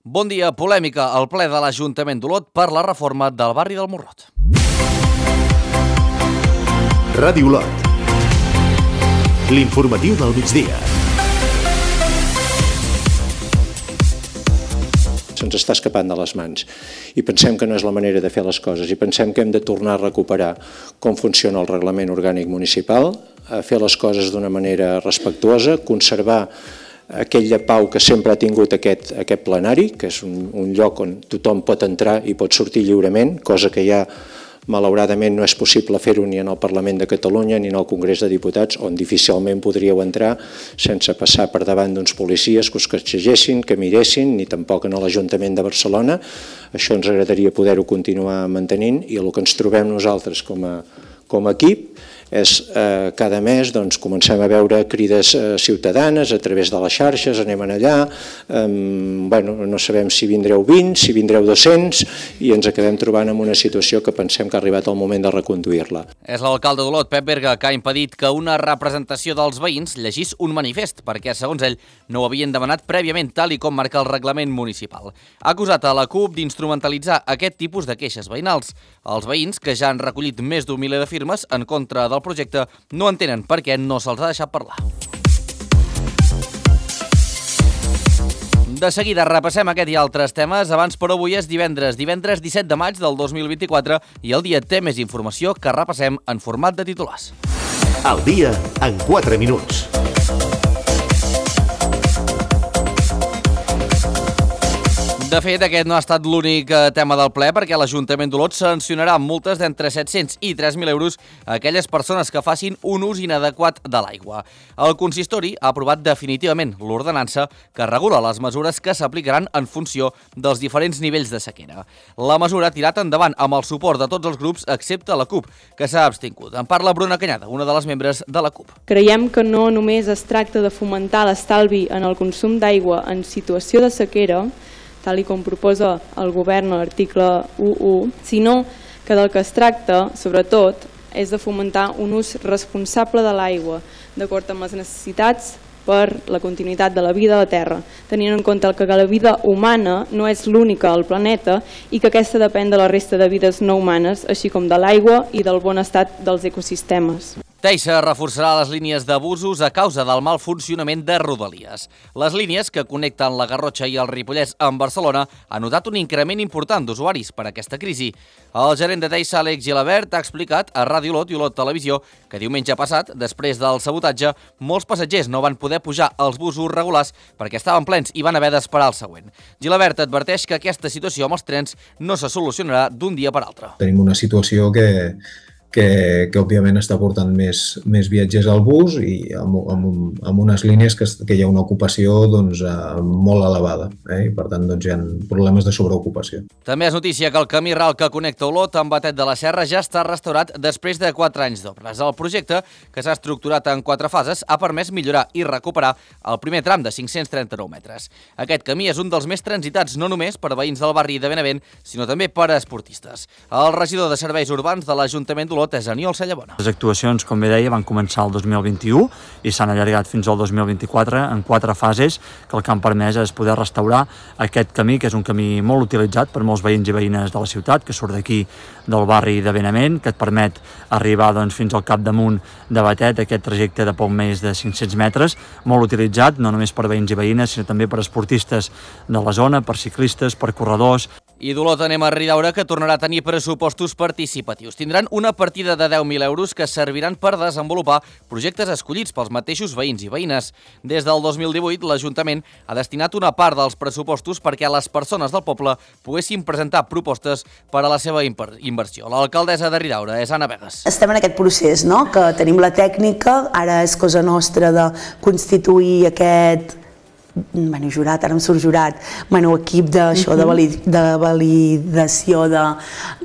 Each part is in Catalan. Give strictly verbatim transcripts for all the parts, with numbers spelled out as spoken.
Bon dia, polèmica al ple de l'Ajuntament d'Olot per la reforma del barri del Morrot. Ràdio Olot. L'informatiu del migdia. Se'ns està escapant de les mans i pensem que no és la manera de fer les coses i pensem que hem de tornar a recuperar com funciona el reglament orgànic municipal, a fer les coses d'una manera respectuosa, conservar aquella pau que sempre ha tingut aquest, aquest plenari, que és un, un lloc on tothom pot entrar i pot sortir lliurement, cosa que ja malauradament no és possible fer-ho ni en el Parlament de Catalunya ni en el Congrés de Diputats, on difícilment podríeu entrar sense passar per davant d'uns policies que us catxegessin, que miressin, ni tampoc en l'Ajuntament de Barcelona. Això ens agradaria poder-ho continuar mantenint i el que ens trobem nosaltres com a, com a equip és eh, cada mes doncs, comencem a veure crides eh, ciutadanes a través de les xarxes, anem allà, eh, bueno, no sabem si vindreu vint, si vindreu dos-cents i ens acabem trobant en una situació que pensem que ha arribat el moment de reconduir-la. És l'alcalde d'Olot, Pep Berga, que ha impedit que una representació dels veïns llegís un manifest, perquè, segons ell, no ho havien demanat prèviament, tal i com marca el reglament municipal. Ha acusat a la CUP d'instrumentalitzar aquest tipus de queixes veïnals. Els veïns, que ja han recollit més d'un miler de firmes en contra del projecte, no entenen per què no se'ls ha deixat parlar. De seguida repassem aquest i altres temes. Abans, però, avui és divendres, divendres disset de maig del dos mil vint-i-quatre i el dia té més informació que repassem en format de titulars. El dia en quatre minuts. De fet, aquest no ha estat l'únic tema del ple perquè l'Ajuntament d'Olot sancionarà amb multes d'entre set-cents i tres mil euros a aquelles persones que facin un ús inadequat de l'aigua. El consistori ha aprovat definitivament l'ordenança que regula les mesures que s'aplicaran en funció dels diferents nivells de sequera. La mesura ha tirat endavant amb el suport de tots els grups excepte la CUP, que s'ha abstingut. En parla Bruna Canyada, una de les membres de la CUP. Creiem que no només es tracta de fomentar l'estalvi en el consum d'aigua en situació de sequera, tal i com proposa el govern a l'article u punt u, sinó que del que es tracta, sobretot, és de fomentar un ús responsable de l'aigua, d'acord amb les necessitats per la continuïtat de la vida a la Terra, tenint en compte que la vida humana no és l'única al planeta i que aquesta depèn de la resta de vides no humanes, així com de l'aigua i del bon estat dels ecosistemes. Teixa reforçarà les línies de busos a causa del mal funcionament de Rodalies. Les línies que connecten la Garrotxa i el Ripollès amb Barcelona han notat un increment important d'usuaris per aquesta crisi. El gerent de Teixa, Àlex Gilabert, ha explicat a Ràdio Olot i Olot Televisió que diumenge passat, després del sabotatge, molts passatgers no van poder pujar als busos regulars perquè estaven plens i van haver d'esperar el següent. Gilabert adverteix que aquesta situació amb els trens no se solucionarà d'un dia per altre. Tenim una situació que... Que, que òbviament està portant més, més viatgers al bus i amb, amb, amb unes línies que, que hi ha una ocupació doncs, molt elevada, eh? I per tant doncs, hi ha problemes de sobreocupació. També és notícia que el camí ral que connecta Olot amb Batet de la Serra ja està restaurat després de quatre anys d'obres. El projecte, que s'ha estructurat en quatre fases, ha permès millorar i recuperar el primer tram de cinc-cents trenta-nou metres. Aquest camí és un dels més transitats no només per veïns del barri de Benavent, sinó també per a esportistes. El regidor de Serveis Urbans de l'Ajuntament d'Olot és Aniol Cellabona. Les actuacions, com bé deia, van començar el dos mil vint-i-u i s'han allargat fins al dos mil vint-i-quatre en quatre fases que el que han permès és poder restaurar aquest camí, que és un camí molt utilitzat per molts veïns i veïnes de la ciutat, que surt d'aquí del barri de Benavent, que et permet arribar doncs, fins al capdamunt de Batet, aquest trajecte de poc més de cinc-cents metres, molt utilitzat, no només per veïns i veïnes, sinó també per esportistes de la zona, per ciclistes, per corredors. I d'Olot anem a Ridaura, que tornarà a tenir pressupostos participatius. Tindran una partida de deu mil euros que serviran per desenvolupar projectes escollits pels mateixos veïns i veïnes. Des del dos mil divuit, l'Ajuntament ha destinat una part dels pressupostos perquè les persones del poble poguessin presentar propostes per a la seva inversió. L'alcaldessa de Ridaura és Anna Vegas. Estem en aquest procés, no? Que tenim la tècnica, ara és cosa nostra de constituir aquest bueno, jurat, ara em surt jurat, bueno, equip d'això, de, valid, de validació de,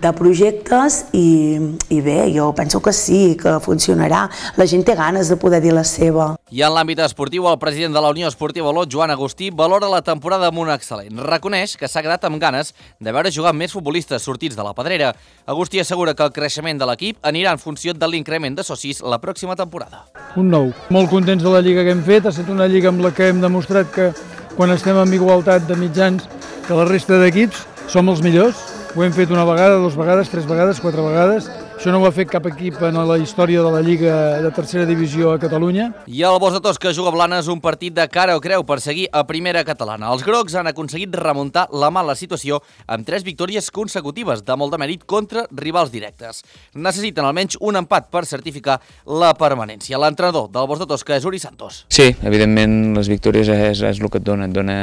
de projectes i, i bé, jo penso que sí, que funcionarà. La gent té ganes de poder dir la seva. I en l'àmbit esportiu, el president de la Unió Esportiva Olot, Joan Agustí, valora la temporada amb un excel·lent. Reconeix que s'ha quedat amb ganes de veure jugar més futbolistes sortits de la pedrera. Agustí assegura que el creixement de l'equip anirà en funció de l'increment de socis la pròxima temporada. Un nou. Molt contents de la lliga que hem fet, ha estat una lliga amb la que hem demostrat que quan estem en igualtat de mitjans que la resta d'equips som els millors. Ho hem fet una vegada, dues vegades, tres vegades, quatre vegades. Això no ho ha fet cap equip en la història de la Lliga de tercera divisió a Catalunya. I el Bos de Tosca juga a Blanes un partit de cara o creu per seguir a primera catalana. Els grocs han aconseguit remuntar la mala situació amb tres victòries consecutives de molt de mèrit contra rivals directes. Necessiten almenys un empat per certificar la permanència. L'entrenador del Bos de Tosca és Uri Santos. Sí, evidentment les victòries és, és el que et dona, et dona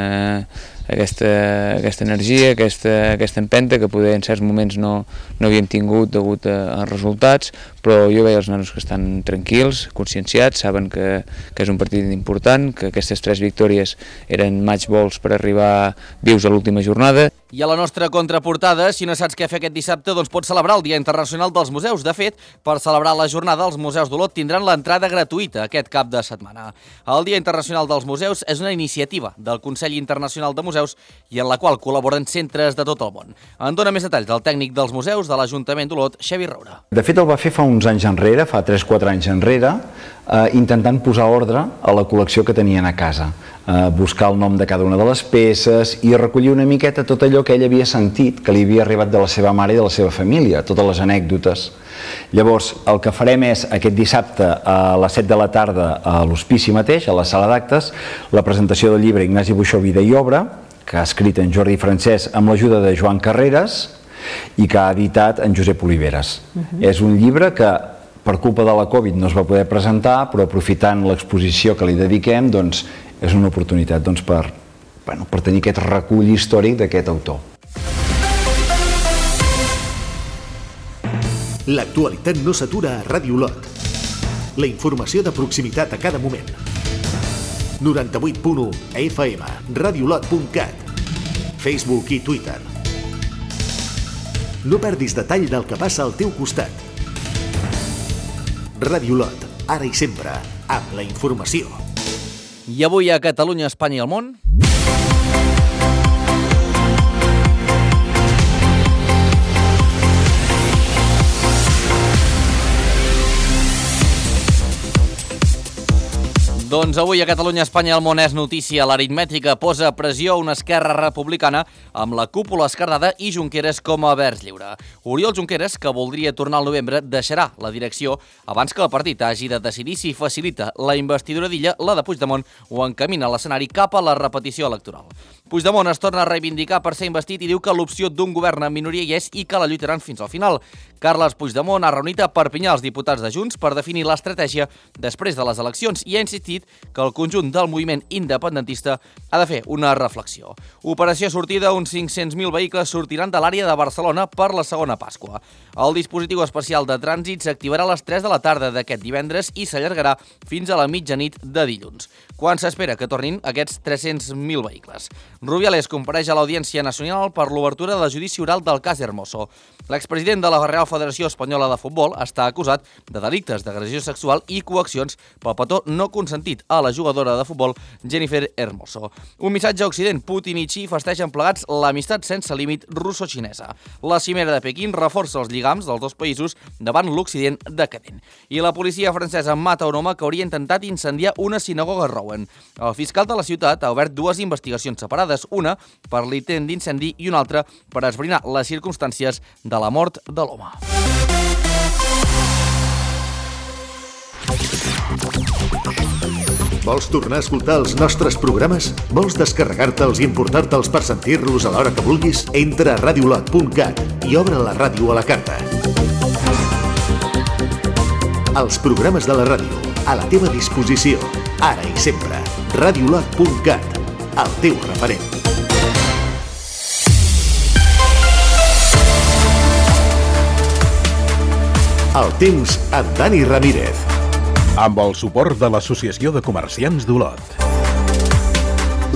aquesta, aquesta energia, aquesta, aquesta empenta que poder en certs moments no, no havíem tingut degut a, a resultats, però jo veia els nanos que estan tranquils, conscienciats, saben que, que és un partit important, que aquestes tres victòries eren match balls per arribar vius a l'última jornada. I a la nostra contraportada, si no saps què fer aquest dissabte, doncs pots celebrar el Dia Internacional dels Museus. De fet, per celebrar la jornada, els museus d'Olot tindran l'entrada gratuïta aquest cap de setmana. El Dia Internacional dels Museus és una iniciativa del Consell Internacional de Museus i en la qual col·laboren centres de tot el món. En dona més detalls el tècnic dels museus de l'Ajuntament d'Olot, Xavi Roura. De fet, el va fer fa uns anys enrere, fa tres quatre anys enrere, eh, intentant posar ordre a la col·lecció que tenien a casa. Eh, buscar el nom de cada una de les peces i recollir una miqueta tot allò que ell havia sentit, que li havia arribat de la seva mare i de la seva família, totes les anècdotes. Llavors, el que farem és aquest dissabte a les set de la tarda a l'Hospici mateix, a la sala d'actes, la presentació del llibre Ignasi Buixó, Vida i Obra, que ha escrit en Jordi Francesc amb l'ajuda de Joan Carreras i que ha editat en Josep Oliveres. Uh-huh. És un llibre que per culpa de la Covid no es va poder presentar, però aprofitant l'exposició que li dediquem, doncs, és una oportunitat doncs, per, bueno, per tenir aquest recull històric d'aquest autor. L'actualitat no s'atura a Ràdio Olot. La informació de proximitat a cada moment. noranta-vuit punt u a F M, radiolot punt cat, Facebook i Twitter. No perdis detall del que passa al teu costat. Ràdio Olot, ara i sempre, amb la informació. I avui a Catalunya, Espanya i el món... Doncs avui a Catalunya, Espanya i el món és notícia. L'aritmètica posa pressió a una Esquerra Republicana amb la cúpula esquerdada i Junqueras com a vers lliure. Oriol Junqueras, que voldria tornar al novembre, deixarà la direcció abans que el partit hagi de decidir si facilita la investidura d'Illa, la de Puigdemont, o encamina l'escenari cap a la repetició electoral. Puigdemont es torna a reivindicar per ser investit i diu que l'opció d'un govern en minoria hi és i que la lluitaran fins al final. Carles Puigdemont ha reunit a Perpinyà els diputats de Junts per definir l'estratègia després de les eleccions i ha insistit que el conjunt del moviment independentista ha de fer una reflexió. Operació sortida, uns cinc-cents mil vehicles sortiran de l'àrea de Barcelona per la segona Pasqua. El dispositiu especial de trànsit s'activarà a les tres de la tarda d'aquest divendres i s'allargarà fins a la mitjanit de dilluns, quan s'espera que tornin aquests tres-cents mil vehicles. Rubiales compareix a l'Audiència Nacional per l'obertura del judici oral del cas Hermoso. L'expresident de la Real Federació Espanyola de Futbol està acusat de delictes d'agressió sexual i coaccions pel petó no consentit a la jugadora de futbol Jennifer Hermoso. Un missatge a Occident: Putin i Xi festegen plegats l'amistat sense límit russo-xinesa. La cimera de Pequín reforça els lligams dels dos països davant l'Occident decadent. I la policia francesa mata un home que hauria intentat incendiar una sinagoga a Rouen. El fiscal de la ciutat ha obert dues investigacions separades, una per l'intent d'incendi i una altra per esbrinar les circumstàncies de la mort de l'home. Vols tornar a escoltar els nostres programes? Vols descarregar-te'ls i importar-te'ls per sentir-los a l'hora que vulguis? Entra a radiolot punt cat i obre la ràdio a la carta. Els programes de la ràdio, a la teva disposició, ara i sempre. radiolot punt cat, el teu referent. El temps amb Dani Ramírez. Amb el suport de l'Associació de Comerciants d'Olot.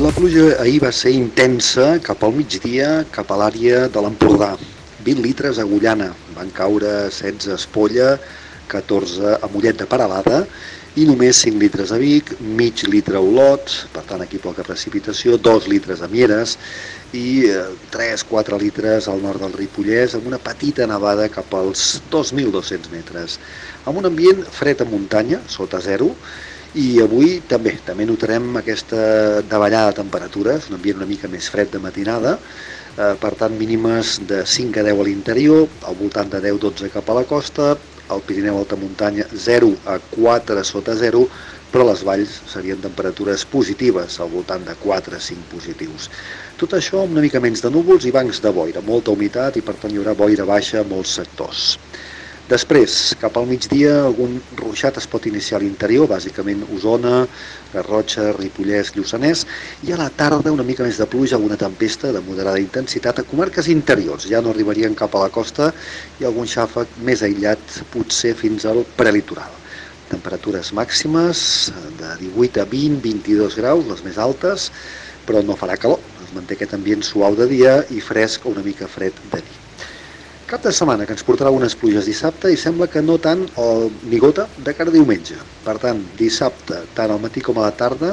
La pluja ahir va ser intensa cap al migdia, cap a l'àrea de l'Empordà. vint litres a Agullana, van caure setze a Espolla, catorze a Mollet de Peralada i només cinc litres a Vic, mig litre a Olot, per tant aquí poca precipitació, dos litres a Mieres i tres quatre litres al nord del Ripollès, amb una petita nevada cap als dos mil dos-cents metres. Amb un ambient fred a muntanya, sota zero, I avui també, també notarem aquesta davallada de temperatures, un ambient una mica més fred de matinada, eh, per tant mínimes de cinc a deu a l'interior, al voltant de deu a dotze cap a la costa, al Pirineu alta muntanya zero a quatre sota zero, però a les valls serien temperatures positives, al voltant de quatre a cinc positius. Tot això amb una mica menys de núvols i bancs de boira, molta humitat i per tant hi haurà boira baixa a molts sectors. Després, cap al migdia, algun ruixat es pot iniciar a l'interior, bàsicament Osona, Garrotxa, Ripollès, Lluçanès, i a la tarda una mica més de pluja, alguna tempesta de moderada intensitat a comarques interiors. Ja no arribarien cap a la costa i algun xàfec més aïllat, potser fins al prelitoral. Temperatures màximes de divuit a vint a vint-i-dos graus, les més altes, però no farà calor. Es manté aquest ambient suau de dia i fresc o una mica fred de nit. Cap de setmana que ens portarà unes pluges dissabte i sembla que no tant o ni gota de cara a diumenge. Per tant, dissabte, tant al matí com a la tarda,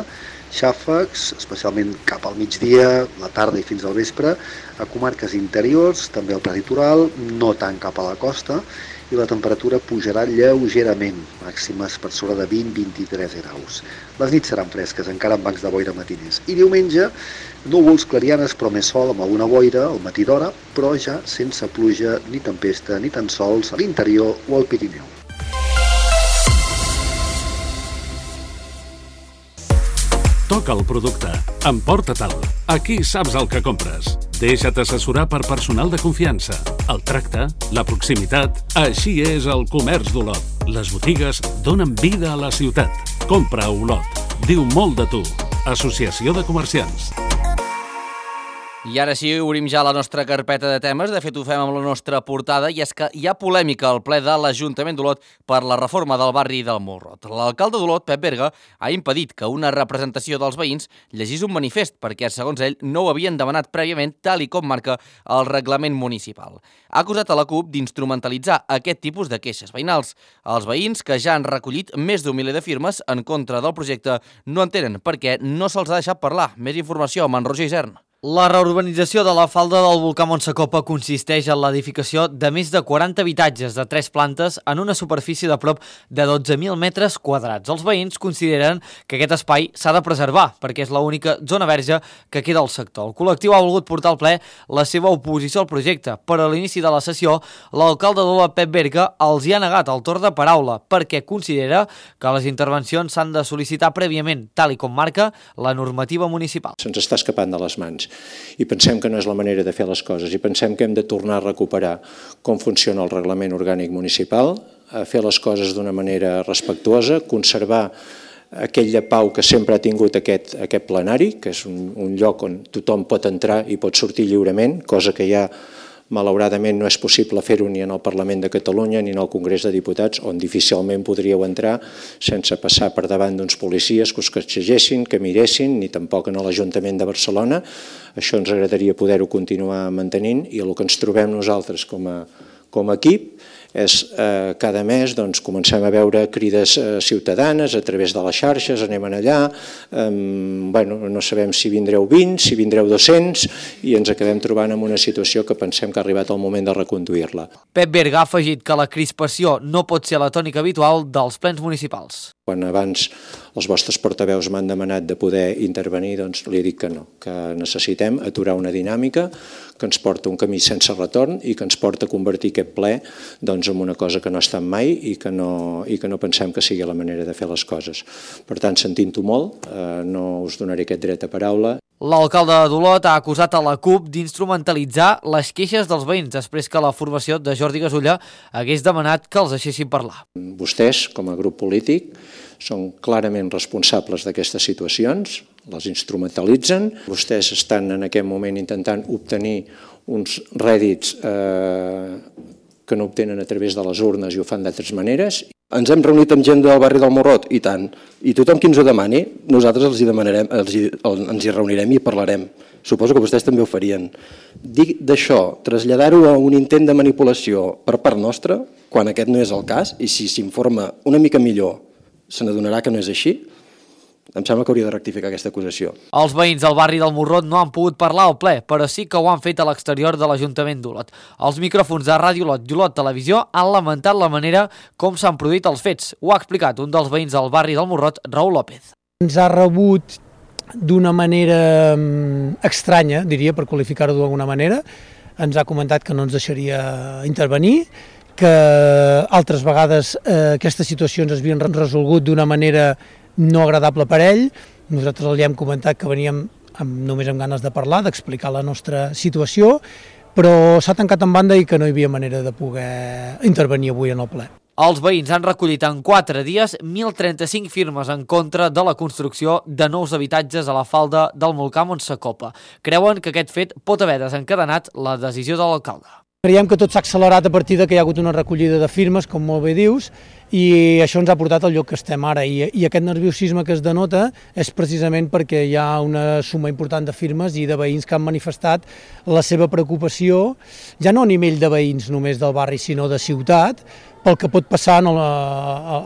xàfecs, especialment cap al migdia, la tarda i fins al vespre, a comarques interiors, també al prelitoral, no tant cap a la costa, i la temperatura pujarà lleugerament, màximes per sobre de vint a vint-i-tres graus. Les nits seran fresques, encara amb bancs de boira matiners. I diumenge, núvols, clarianes, però més sol, amb alguna boira al matí d'hora, però ja sense pluja ni tempesta, ni tan sols a l'interior o al Pirineu. Toca el producte. Emporta-te'l. Aquí saps el que compres. Deixa't assessorar per personal de confiança. El tracte, la proximitat, així és el comerç d'Olot. Les botigues donen vida a la ciutat. Compra a Olot. Diu molt de tu. Associació de Comerciants. I ara sí, obrim ja la nostra carpeta de temes. De fet, ho fem amb la nostra portada, i és que hi ha polèmica al ple de l'Ajuntament d'Olot per la reforma del barri del Morrot. L'alcalde d'Olot, Pep Berga, ha impedit que una representació dels veïns llegís un manifest perquè, segons ell, no ho havien demanat prèviament, tal i com marca el reglament municipal. Ha acusat a la CUP d'instrumentalitzar aquest tipus de queixes veïnals. Els veïns, que ja han recollit més d'un miler de firmes en contra del projecte, no entenen perquè no se'ls ha deixat parlar. Més informació amb en Roger Isern. La reurbanització de la falda del volcà Montsacopa consisteix en l'edificació de més de quaranta habitatges de tres plantes en una superfície de prop de dotze mil metres quadrats. Els veïns consideren que aquest espai s'ha de preservar perquè és l'única zona verge que queda al sector. El col·lectiu ha volgut portar al ple la seva oposició al projecte, però a l'inici de la sessió l'alcalde d'Olot, Pep Berga, els hi ha negat el torn de paraula perquè considera que les intervencions s'han de sol·licitar prèviament, tal i com marca la normativa municipal. Se'ns està escapant de les mans. I pensem que no és la manera de fer les coses i pensem que hem de tornar a recuperar com funciona el reglament orgànic municipal, a fer les coses d'una manera respectuosa, conservar aquella pau que sempre ha tingut aquest, aquest plenari, que és un, un lloc on tothom pot entrar i pot sortir lliurement, cosa que ja malauradament no és possible fer-ho ni en el Parlament de Catalunya ni en el Congrés de Diputats, on difícilment podríeu entrar sense passar per davant d'uns policies que us catxegessin, que miressin, ni tampoc en l'Ajuntament de Barcelona. Això ens agradaria poder-ho continuar mantenint i el que ens trobem nosaltres com a, com a equip és eh, cada mes doncs, comencem a veure crides eh, ciutadanes a través de les xarxes, anem allà, eh, bueno, no sabem si vindreu vint, si vindreu dos-cents i ens acabem trobant en una situació que pensem que ha arribat el moment de reconduir-la. Pep Berga ha afegit que la crispació no pot ser la tònica habitual dels plens municipals. Quan abans els vostres portaveus m'han demanat de poder intervenir, doncs li dic que no, que necessitem aturar una dinàmica que ens porta un camí sense retorn i que ens porta a convertir aquest ple doncs, en una cosa que no ha estat mai i que no, i que no pensem que sigui la manera de fer les coses. Per tant, sentint-ho molt, eh, no us donaré aquest dret a paraula. L'alcalde d'Olot ha acusat a la CUP d'instrumentalitzar les queixes dels veïns després que la formació de Jordi Gasulla hagués demanat que els deixessin parlar. Vostès, com a grup polític, són clarament responsables d'aquestes situacions, les instrumentalitzen. Vostès estan en aquest moment intentant obtenir uns rèdits eh, que no obtenen a través de les urnes i ho fan d'altres maneres. Ens hem reunit amb gent del barri del Morrot, i tant. I tothom qui ens ho demani, nosaltres els hi demanarem, els hi, ens hi reunirem i parlarem. Suposo que vostès també ho farien. Dir d'això, traslladar-ho a un intent de manipulació per part nostra, quan aquest no és el cas, i si s'informa una mica millor se n'adonarà que no és així, Em sembla que hauria de rectificar aquesta acusació. Els veïns del barri del Morrot no han pogut parlar al ple, però sí que ho han fet a l'exterior de l'Ajuntament d'Olot. Els micròfons de Ràdio Olot i Olot Televisió han lamentat la manera com s'han produït els fets. Ho ha explicat un dels veïns del barri del Morrot, Raül López. Ens ha rebut d'una manera estranya, diria, per qualificar-ho d'alguna manera. Ens ha comentat que no ens deixaria intervenir, que altres vegades eh, aquestes situacions es havien resolgut d'una manera no agradable per ell. Nosaltres li hem comentat que veníem amb, només amb ganes de parlar, d'explicar la nostra situació, però s'ha tancat en banda i que no hi havia manera de poder intervenir avui en el ple. Els veïns han recollit en quatre dies mil trenta-cinc firmes en contra de la construcció de nous habitatges a la falda del volcà Montsacopa. Creuen que aquest fet pot haver desencadenat la decisió de l'alcalde. Creiem que tot s'ha accelerat a partir de que hi ha hagut una recollida de firmes, com molt bé dius, i això ens ha portat al lloc que estem ara. I, i aquest nerviosisme que es denota és precisament perquè hi ha una suma important de firmes i de veïns que han manifestat la seva preocupació, ja no a nivell de veïns només del barri, sinó de ciutat, pel que pot passar a la,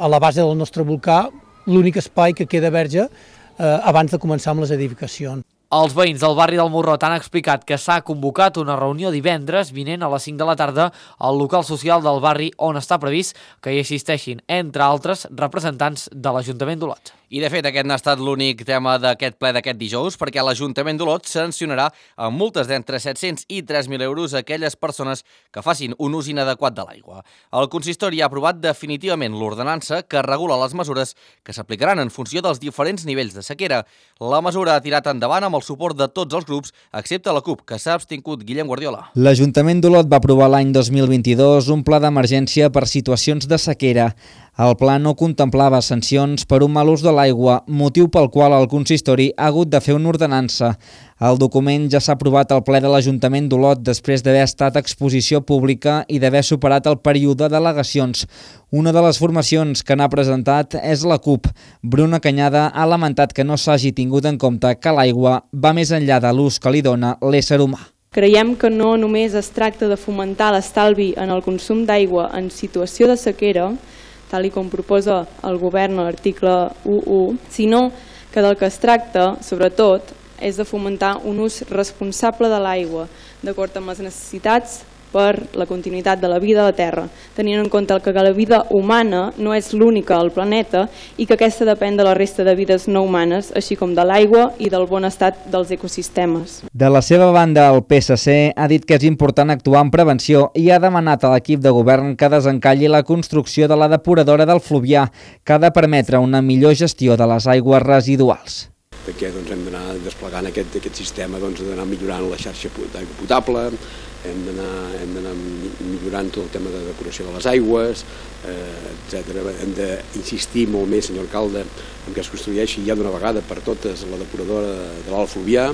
a la base del nostre volcà, l'únic espai que queda verge eh, abans de començar amb les edificacions. Els veïns del barri del Morrot han explicat que s'ha convocat una reunió divendres vinent a les cinc de la tarda al local social del barri on està previst que hi assisteixin, entre altres, representants de l'Ajuntament d'Olot. I, de fet, aquest n'ha estat l'únic tema d'aquest ple d'aquest dijous, perquè l'Ajuntament d'Olot sancionarà amb multes d'entre set-cents i tres mil euros a aquelles persones que facin un ús inadequat de l'aigua. El consistori ha aprovat definitivament l'ordenança que regula les mesures que s'aplicaran en funció dels diferents nivells de sequera. La mesura ha tirat endavant amb el suport de tots els grups, excepte la CUP, que s'ha abstingut. Guillem Guardiola. L'Ajuntament d'Olot va aprovar l'any dos mil vint-i-dos un pla d'emergència per situacions de sequera. El pla no contemplava sancions per un mal ús de l'aigua, motiu pel qual el consistori ha hagut de fer una ordenança. El document ja s'ha aprovat al ple de l'Ajuntament d'Olot després d'haver estat a exposició pública i d'haver superat el període d'al·legacions. Una de les formacions que n'ha presentat és la CUP. Bruna Canyada ha lamentat que no s'hagi tingut en compte que l'aigua va més enllà de l'ús que li dona l'ésser humà. Creiem que no només es tracta de fomentar l'estalvi en el consum d'aigua en situació de sequera, tal com proposa el govern a l'article u u, sinó que del que es tracta, sobretot, és de fomentar un ús responsable de l'aigua, d'acord amb les necessitats per la continuïtat de la vida a la Terra, tenint en compte que la vida humana no és l'única al planeta i que aquesta depèn de la resta de vides no humanes, així com de l'aigua i del bon estat dels ecosistemes. De la seva banda, el P S C ha dit que és important actuar en prevenció i ha demanat a l'equip de govern que desencalli la construcció de la depuradora del Fluvià, que ha de permetre una millor gestió de les aigües residuals. Perquè doncs, hem d'anar desplegant aquest, aquest sistema, doncs, d'anar millorant la xarxa d'aigua potable, hem d'anar millorant tot el tema de depuració de les aigües, eh, etcètera. Hem d'insistir molt més, senyor alcalde, en que es construeixi ja d'una vegada per totes la depuradora de l'Alt Fluvià.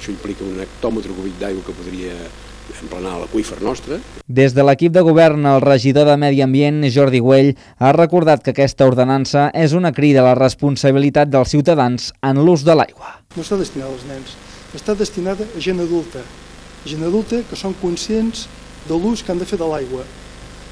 Això implica un hectòmetre cúbic d'aigua que podria emplenar l'aqüífer nostre. Des de l'equip de govern, el regidor de Medi Ambient, Jordi Güell, ha recordat que aquesta ordenança és una crida a la responsabilitat dels ciutadans en l'ús de l'aigua. No està destinada als nens, està destinada a gent adulta, gent adulta que són conscients de l'ús que han de fer de l'aigua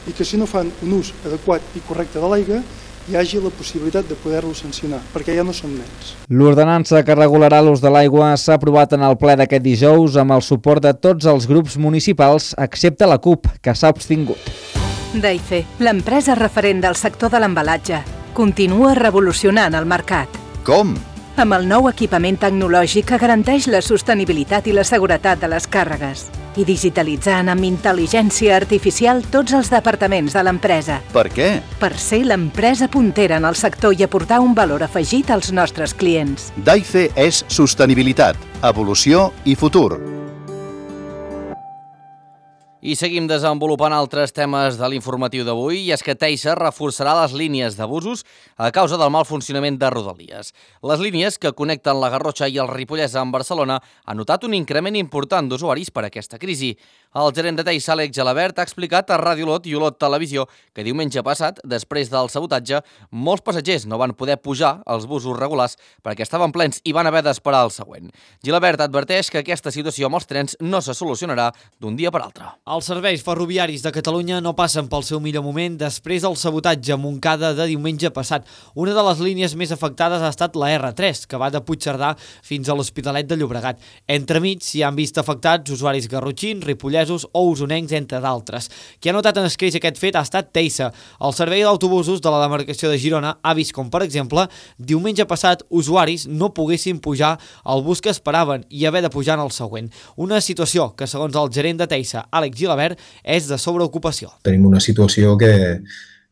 i que si no fan un ús adequat i correcte de l'aigua hi hagi la possibilitat de poder-lo sancionar, perquè ja no són nens. L'ordenança que regularà l'ús de l'aigua s'ha aprovat en el ple d'aquest dijous amb el suport de tots els grups municipals, excepte la CUP, que s'ha abstingut. Daife, l'empresa referent del sector de l'embalatge, continua revolucionant el mercat. Com? Amb el nou equipament tecnològic que garanteix la sostenibilitat i la seguretat de les càrregues i digitalitzant amb intel·ligència artificial tots els departaments de l'empresa. Per què? Per ser l'empresa puntera en el sector i aportar un valor afegit als nostres clients. Daife és sostenibilitat, evolució i futur. I seguim desenvolupant altres temes de l'informatiu d'avui, i és que Teixa reforçarà les línies d'abusos a causa del mal funcionament de Rodalies. Les línies que connecten la Garrotxa i el Ripollès amb Barcelona han notat un increment important d'usuaris per aquesta crisi. El gerent de Teixa, Àlex Gelabert, ha explicat a Ràdio Olot i Olot Televisió que diumenge passat, després del sabotatge, molts passatgers no van poder pujar als busos regulars perquè estaven plens i van haver d'esperar el següent. Gelabert adverteix que aquesta situació amb els trens no se solucionarà d'un dia per altre. Els serveis ferroviaris de Catalunya no passen pel seu millor moment després del sabotatge a Montcada de diumenge passat. Una de les línies més afectades ha estat la erre tres, que va de Puigcerdà fins a l'Hospitalet de Llobregat. Entremig s'hi han vist afectats usuaris garrotxins, ripollesos o usonencs, entre d'altres. Qui ha notat en escreix aquest fet ha estat Teisa. El servei d'autobusos de la demarcació de Girona ha vist com, per exemple, diumenge passat usuaris no poguessin pujar al bus que esperaven i haver de pujar en el següent. Una situació que, segons el gerent de Teisa, Àlex Gilabert, és de sobreocupació. Tenim una situació que,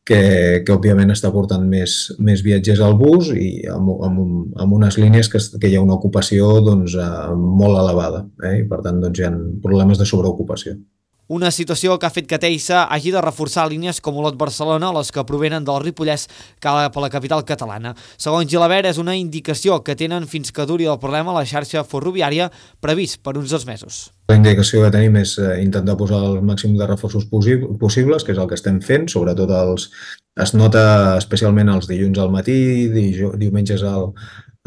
que, que òbviament està portant més, més viatgers al bus i amb, amb, amb unes línies que, que hi ha una ocupació doncs, molt elevada, eh? I per tant doncs, hi ha problemes de sobreocupació. Una situació que ha fet que Teisa hagi de reforçar línies com Olot-Barcelona, les que provenen del Ripollès cap a la capital catalana. Segons Gilabert, és una indicació que tenen fins que duri el problema a la xarxa ferroviària previst per uns dos mesos. La indicació que tenim és intentar posar el màxim de reforços possibles, que és el que estem fent, sobretot els, es nota especialment els dilluns al matí, diumenges al,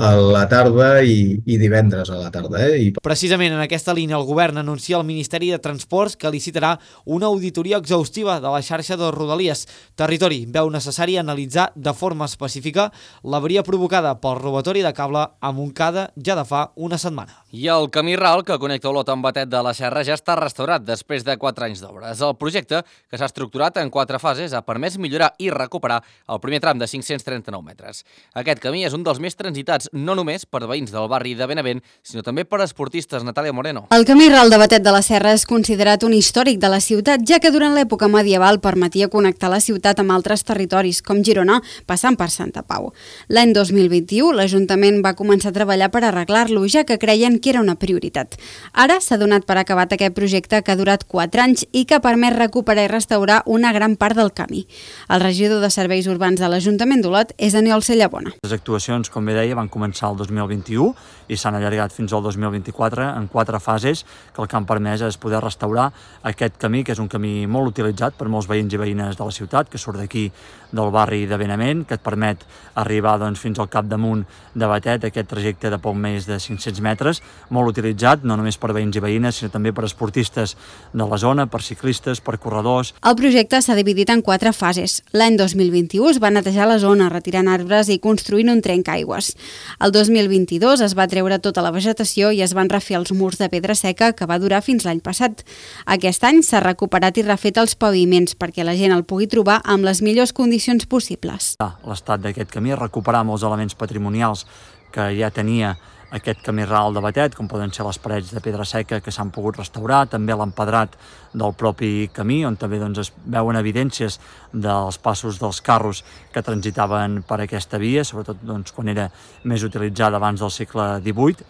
a la tarda i, i divendres a la tarda. Eh? I... Precisament en aquesta línia el govern anuncia al Ministeri de Transports que licitarà una auditoria exhaustiva de la xarxa de Rodalies. Territori veu necessari analitzar de forma específica l'avaria provocada pel robatori de cable a Montcada ja de fa una setmana. I el camí ral que connecta Olot amb Batet de la Serra ja està restaurat després de quatre anys d'obres. El projecte, que s'ha estructurat en quatre fases, ha permès millorar i recuperar el primer tram de cinc-cents trenta-nou metres. Aquest camí és un dels més transitats no només per veïns del barri de Benavent, sinó també per esportistes. Natàlia Moreno. El camí ral de Batet de la Serra és considerat un històric de la ciutat, ja que durant l'època medieval permetia connectar la ciutat amb altres territoris, com Girona, passant per Santa Pau. L'any dos mil vint-i-u, l'Ajuntament va començar a treballar per arreglar-lo, ja que creien que era una prioritat. Ara s'ha donat per acabat aquest projecte que ha durat quatre anys i que ha permès recuperar i restaurar una gran part del camí. El regidor de Serveis Urbans de l'Ajuntament d'Olot és Aniol Cellabona. Les actuacions, com bé deia, van començar el dos mil vint-i-u i s'han allargat fins al dos mil vint-i-quatre en quatre fases, que el que han permès és poder restaurar aquest camí, que és un camí molt utilitzat per molts veïns i veïnes de la ciutat, que surt d'aquí del barri de Benavent, que et permet arribar doncs, fins al capdamunt de Batet, aquest trajecte de poc més de cinc-cents metres, molt utilitzat, no només per veïns i veïnes, sinó també per esportistes de la zona, per ciclistes, per corredors. El projecte s'ha dividit en quatre fases. L'any dos mil vint-i-u es va netejar la zona, retirant arbres i construint un trencaaigües. El dos mil vint-i-dos es va treure tota la vegetació i es van refer els murs de pedra seca, que va durar fins l'any passat. Aquest any s'ha recuperat i refet els paviments perquè la gent el pugui trobar amb les millors condicions possibles. L'estat d'aquest camí és recuperar molts elements patrimonials que ja tenia aquest camí ral de Batet, com poden ser les parets de pedra seca que s'han pogut restaurar, també l'empedrat del propi camí, on també doncs, es veuen evidències dels passos dels carros que transitaven per aquesta via, sobretot doncs, quan era més utilitzada abans del segle divuit.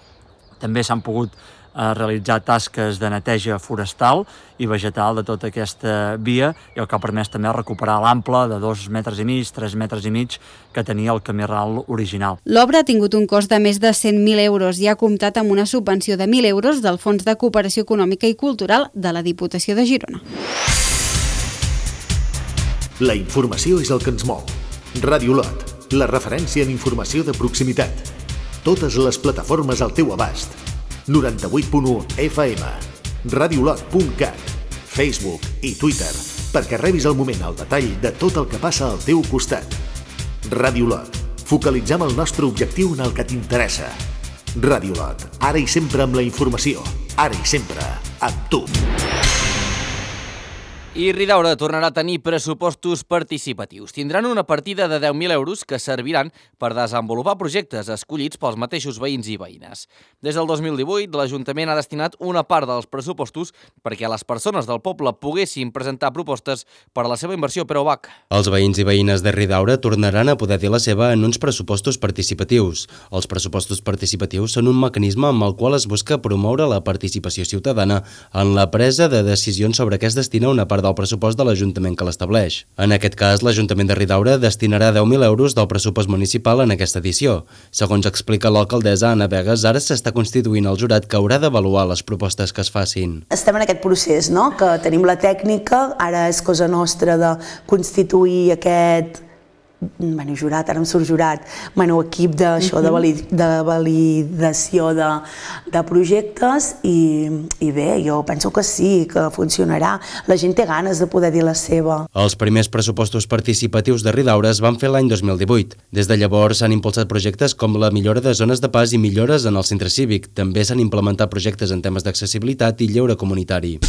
També s'han pogut a realitzar tasques de neteja forestal i vegetal de tota aquesta via, i el que ha permès també recuperar l'ample de dos metres i mig, tres metres i mig que tenia el camí ral original. L'obra ha tingut un cost de més de cent mil euros i ha comptat amb una subvenció de mil euros del Fons de Cooperació Econòmica i Cultural de la Diputació de Girona. La informació és el que ens mou. Ràdio Olot, la referència en informació de proximitat. Totes les plataformes al teu abast. noranta-vuit punt u F M, radiolot punt cat, Facebook i Twitter, perquè rebis al moment el detall de tot el que passa al teu costat. Ràdio Olot, focalitzem el nostre objectiu en el que t'interessa. Ràdio Olot, ara i sempre amb la informació, ara i sempre amb tu. I Ridaura tornarà a tenir pressupostos participatius. Tindran una partida de deu mil euros que serviran per desenvolupar projectes escollits pels mateixos veïns i veïnes. Des del dos mil divuit, l'Ajuntament ha destinat una part dels pressupostos perquè les persones del poble poguessin presentar propostes per a la seva inversió, però Bach. Els veïns i veïnes de Ridaura tornaran a poder dir la seva en uns pressupostos participatius. Els pressupostos participatius són un mecanisme amb el qual es busca promoure la participació ciutadana en la presa de decisions sobre què es destina una part del pressupost de l'Ajuntament que l'estableix. En aquest cas, l'Ajuntament de Ridaura destinarà deu mil euros del pressupost municipal en aquesta edició. Segons explica l'alcaldessa Anna Vegas, ara s'està constituint el jurat que haurà d'avaluar les propostes que es facin. Estem en aquest procés, no? Que tenim la tècnica, ara és cosa nostra de constituir aquest bueno, jurat, ara em surt jurat, bueno, equip d'això, de, valid, de validació de, de projectes i, i bé, jo penso que sí, que funcionarà. La gent té ganes de poder dir la seva. Els primers pressupostos participatius de Ridaura es van fer l'any dos mil divuit. Des de llavors s'han impulsat projectes com la millora de zones de pas i millores en el centre cívic. També s'han implementat projectes en temes d'accessibilitat i lleure comunitari.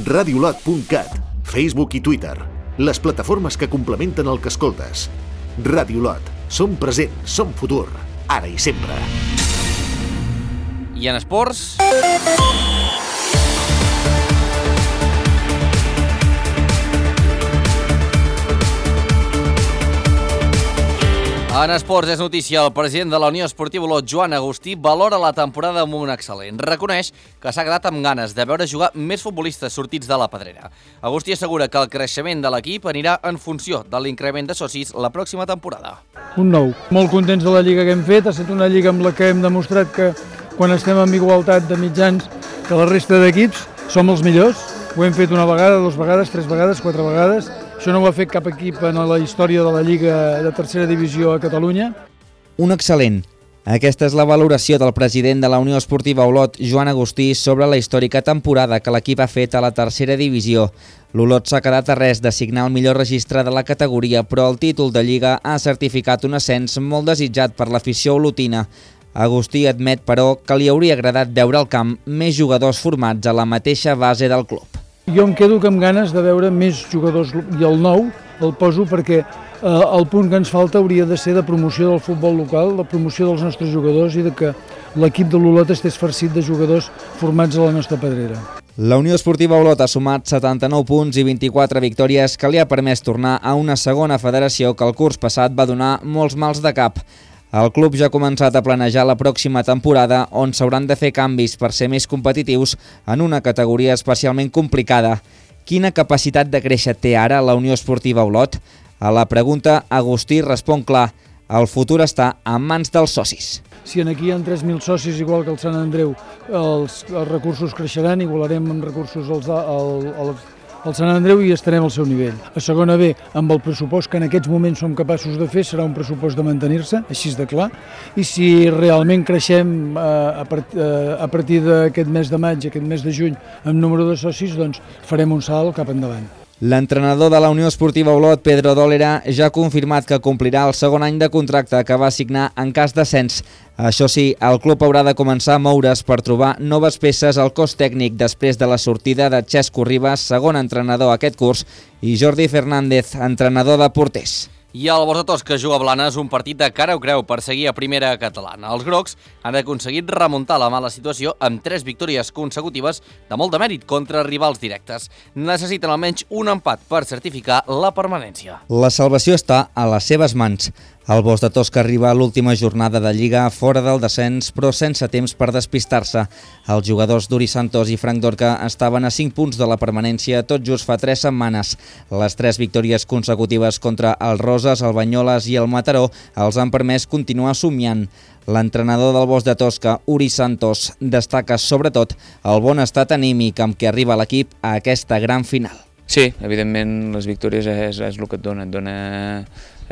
radiolot punt cat, Facebook i Twitter, les plataformes que complementen el que escoltes. Radiolot, som present, som futur, ara i sempre. I en esports... En esports és notícia. El president de la Unió Esportiva Olot, Joan Agustí, valora la temporada amb un excel·lent. Reconeix que s'ha quedat amb ganes de veure jugar més futbolistes sortits de la pedrera. Agustí assegura que el creixement de l'equip anirà en funció de l'increment de socis la pròxima temporada. Un nou. Molt contents de la lliga que hem fet. Ha estat una lliga amb la que hem demostrat que quan estem en igualtat de mitjans que la resta d'equips som els millors. Ho hem fet una vegada, dues vegades, tres vegades, quatre vegades. Això no ho ha fet cap equip en la història de la Lliga de tercera divisió a Catalunya. Un excel·lent. Aquesta és la valoració del president de la Unió Esportiva Olot, Joan Agustí, sobre la històrica temporada que l'equip ha fet a la tercera divisió. L'Olot s'ha quedat a res de signar el millor registre de la categoria, però el títol de Lliga ha certificat un ascens molt desitjat per l'afició olotina. Agustí admet, però, que li hauria agradat veure al camp més jugadors formats a la mateixa base del club. Jo em quedo amb ganes de veure més jugadors i el nou el poso perquè eh, el punt que ens falta hauria de ser de promoció del futbol local, de promoció dels nostres jugadors i de que l'equip de l'Olot estés farcit de jugadors formats a la nostra pedrera. La Unió Esportiva Olot ha sumat setanta-nou punts i vint-i-quatre victòries que li ha permès tornar a una segona federació que el curs passat va donar molts mals de cap. El club ja ha començat a planejar la pròxima temporada on s'hauran de fer canvis per ser més competitius en una categoria especialment complicada. Quina capacitat de créixer té ara la Unió Esportiva Olot? A la pregunta, Agustí respon clar. El futur està en mans dels socis. Si aquí hi ha tres mil socis, igual que el Sant Andreu, els, els recursos creixeran, igualarem en recursos als, al, al, al Sant Andreu i estarem al seu nivell. A segona B, amb el pressupost que en aquests moments som capaços de fer, serà un pressupost de mantenir-se, així de clar, i si realment creixem eh, a, part, eh, a partir d'aquest mes de maig, aquest mes de juny, amb número de socis, doncs farem un salt cap endavant. L'entrenador de la Unió Esportiva Olot, Pedro Dólera, ja ha confirmat que complirà el segon any de contracte que va signar en cas d'ascens. Això sí, el club haurà de començar a moure's per trobar noves peces al cos tècnic després de la sortida de Xesco Ribas, segon entrenador aquest curs, i Jordi Fernández, entrenador de porters. I el Bordatós, que juga a Blanes, un partit de cara o creu per seguir a primera catalana. Els grocs han aconseguit remuntar la mala situació amb tres victòries consecutives de molt de mèrit contra rivals directes. Necessiten almenys un empat per certificar la permanència. La salvació està a les seves mans. El Bordatós que arriba a l'última jornada de Lliga fora del descens, però sense temps per despistar-se. Els jugadors d'Uri Santos i Frank Dorca estaven a cinc punts de la permanència tot just fa tres setmanes. Les tres victòries consecutives contra el Roses, el Banyoles i el Mataró els han permès continuar somiant. L'entrenador del Bosc de Tosca, Uri Santos, destaca sobretot el bon estat anímic amb què arriba l'equip a aquesta gran final. Sí, evidentment les victòries és, és el que et dona, et dona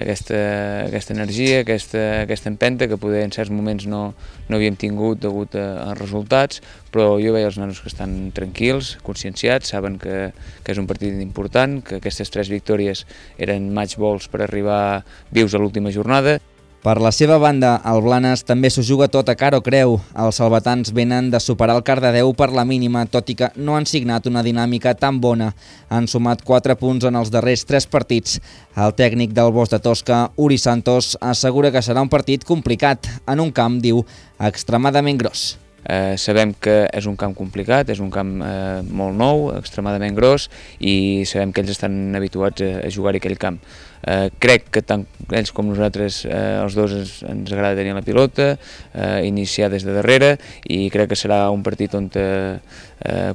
aquesta, aquesta energia, aquesta, aquesta empenta que poder en certs moments no, no havíem tingut degut a, a resultats, però jo veia els nanos que estan tranquils, conscienciats, saben que, que és un partit important, que aquestes tres victòries eren match balls per arribar vius a l'última jornada. Per la seva banda, el Blanes també s'ho juga tot a cara o creu. Els salvatans venen de superar el Cardedeu per la mínima, tot i que no han signat una dinàmica tan bona. Han sumat quatre punts en els darrers tres partits. El tècnic del Bosc de Tosca, Uri Santos, assegura que serà un partit complicat, en un camp, diu, extremadament gros. Eh, sabem que és un camp complicat, és un camp eh, molt nou, extremadament gros, i sabem que ells estan habituats a, a jugar a aquell camp. Eh, crec que tant ells com nosaltres, eh, els dos ens, ens agrada tenir la pilota, eh, iniciar des de darrere, i crec que serà un partit on eh,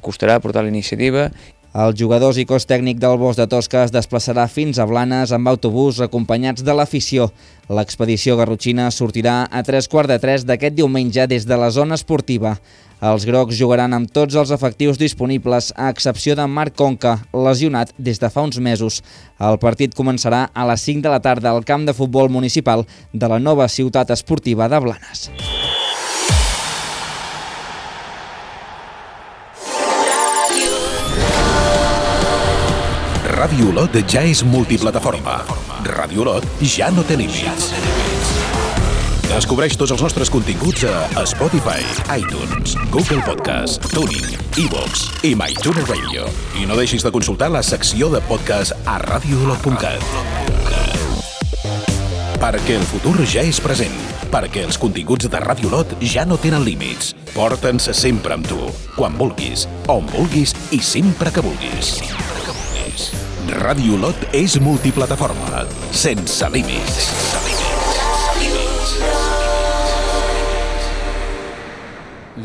costarà portar la iniciativa. Els jugadors i cos tècnic del Bosc de Tosca es desplaçarà fins a Blanes amb autobús acompanyats de l'afició. L'expedició garrotxina sortirà a tres quarts de tres d'aquest diumenge des de la zona esportiva. Els grocs jugaran amb tots els efectius disponibles, a excepció de Marc Conca, lesionat des de fa uns mesos. El partit començarà a les cinc de la tarda al camp de futbol municipal de la nova ciutat esportiva de Blanes. Ràdio Olot ja és multiplataforma. Ràdio Olot ja no té límits. Descobreix tots els nostres continguts a Spotify, iTunes, Google Podcast, TuneIn, iVoox i MyTuner Radio. I no deixis de consultar la secció de podcast a radio olot punt cat. Perquè el futur ja és present. Perquè els continguts de Ràdio Olot ja no tenen límits. Porta'ns sempre amb tu, quan vulguis, on vulguis i sempre que vulguis. Ràdio Olot és multiplataforma, sense límits.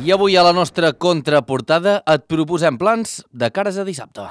I avui a la nostra contraportada et proposem plans de cares a dissabte.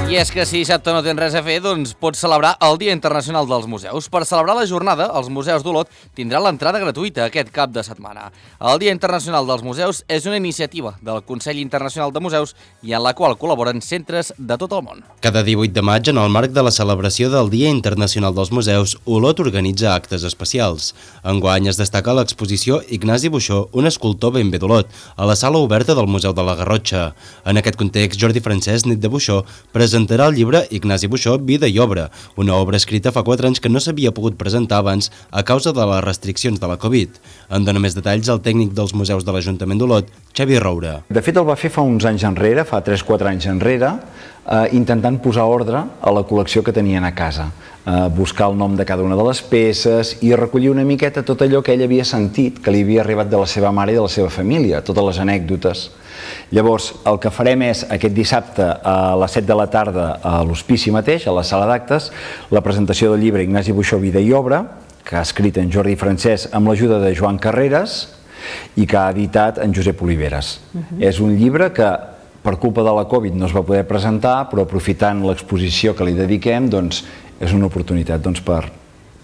I és que si dissabte no tens res a fer, doncs pots celebrar el Dia Internacional dels Museus. Per celebrar la jornada, els museus d'Olot tindran l'entrada gratuïta aquest cap de setmana. El Dia Internacional dels Museus és una iniciativa del Consell Internacional de Museus i en la qual col·laboren centres de tot el món. Cada divuit de maig, en el marc de la celebració del Dia Internacional dels Museus, Olot organitza actes especials. Enguany es destaca l'exposició Ignasi Buxó, un escultor ben bé d'Olot, a la sala oberta del Museu de la Garrotxa. En aquest context, Jordi Francesc, nét de Buxó, presenta presentarà el llibre Ignasi Buxó, Vida i Obra, una obra escrita fa quatre anys que no s'havia pogut presentar abans a causa de les restriccions de la Covid. En dona més detalls el tècnic dels museus de l'Ajuntament d'Olot, Xavi Roura. De fet, el va fer fa uns anys enrere, fa tres quatre anys enrere, eh, intentant posar ordre a la col·lecció que tenien a casa, eh, buscar el nom de cada una de les peces i recollir una miqueta tot allò que ell havia sentit, que li havia arribat de la seva mare i de la seva família, totes les anècdotes. Llavors, el que farem és aquest dissabte a les set de la tarda a l'Hospici mateix, a la sala d'actes, la presentació del llibre Ignasi Buxó, Vida i Obra, que ha escrit en Jordi Francesc amb l'ajuda de Joan Carreras i que ha editat en Josep Oliveres. Uh-huh. És un llibre que per culpa de la Covid no es va poder presentar, però aprofitant l'exposició que li dediquem, doncs, és una oportunitat doncs, per,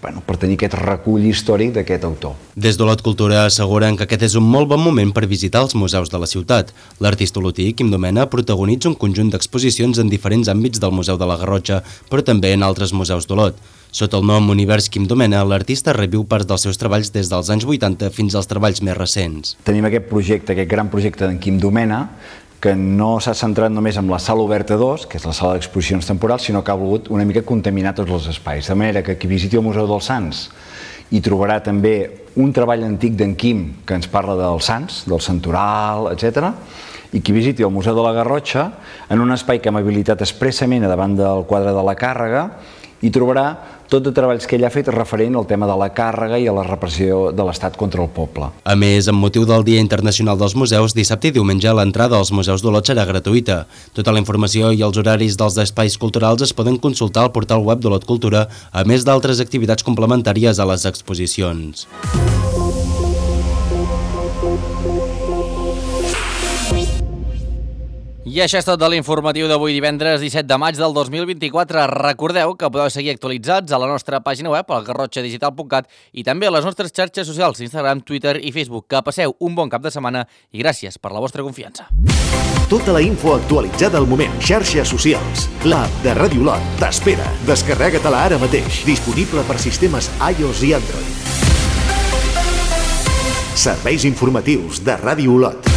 bueno, per tenir aquest recull històric d'aquest autor. Des d'Olot Cultura asseguren que aquest és un molt bon moment per visitar els museus de la ciutat. L'artista olotí, Quim Domena, protagonitza un conjunt d'exposicions en diferents àmbits del Museu de la Garrotxa, però també en altres museus d'Olot. Sota el nom Univers Quim Domena, l'artista reviu parts dels seus treballs des dels anys vuitanta fins als treballs més recents. Tenim aquest projecte, aquest gran projecte d'en Quim Domena, que no s'ha centrat només en la sala oberta dos, que és la sala d'exposicions temporals, sinó que ha volgut una mica contaminar tots els espais. De manera que qui visiti el Museu dels Sants hi trobarà també un treball antic d'en Quim que ens parla dels Sants, del Santoral, etcètera, i qui visiti el Museu de la Garrotxa, en un espai que hem habilitat expressament a davant del quadre de la càrrega, hi trobarà tot de treballs que ell ha fet referent al tema de la càrrega i a la repressió de l'Estat contra el poble. A més, amb motiu del Dia Internacional dels Museus, dissabte i diumenge l'entrada als museus d'Olot serà gratuïta. Tota la informació i els horaris dels espais culturals es poden consultar al portal web d'Olot Cultura, a més d'altres activitats complementàries a les exposicions. I això és tot de l'informatiu d'avui divendres disset de maig del dos mil vint-i-quatre. Recordeu que podeu seguir actualitzats a la nostra pàgina web, al garrotxa digital punt cat, i també a les nostres xarxes socials, Instagram, Twitter i Facebook. Que passeu un bon cap de setmana i gràcies per la vostra confiança. Tota la info actualitzada al moment. Xarxes socials. L'app de Ràdio Olot t'espera. Descarrega-te-la ara mateix. Disponible per sistemes iOS i Android. Serveis informatius de Ràdio Olot.